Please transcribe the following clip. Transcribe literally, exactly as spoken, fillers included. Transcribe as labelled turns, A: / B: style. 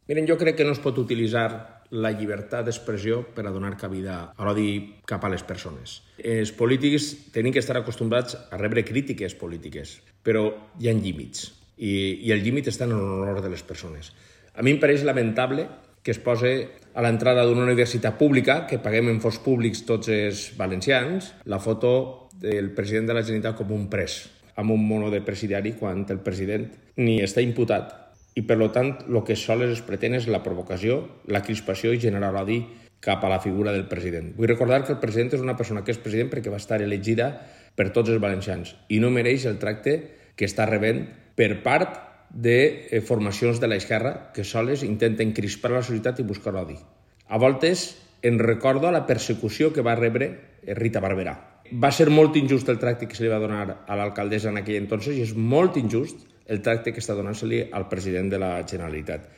A: Miren, jo crec que no es pot utilitzar la llibertat d'expressió per a donar cabida a l'odi cap a les persones. Els polítics tenen que estar acostumbrats a rebre crítiques polítiques, però hi ha límits, i, i el límit està en l'honor de les persones. A mi em pareix lamentable que es posi a l'entrada d'una universitat pública, que paguem en fons públics tots els valencians, la foto del president de la Generalitat com un pres, amb un mono de presidiari, quan el president ni està imputat. I, per tant, el que sols es pretén és la provocació, la crispació i generar l'odi cap a la figura del president. Vull recordar que el president és una persona que és president perquè va estar elegida per tots els valencians i no mereix el tracte que està rebent per part de formacions de l'esquerra que soles intenten crispar la societat i buscar l'odi. A voltes en recordo la persecució que va rebre Rita Barberà. Va ser molt injust el tracte que se li va donar a l'alcaldessa en aquell entonces i és molt injust el tracte que està donant-se-li al president de la Generalitat.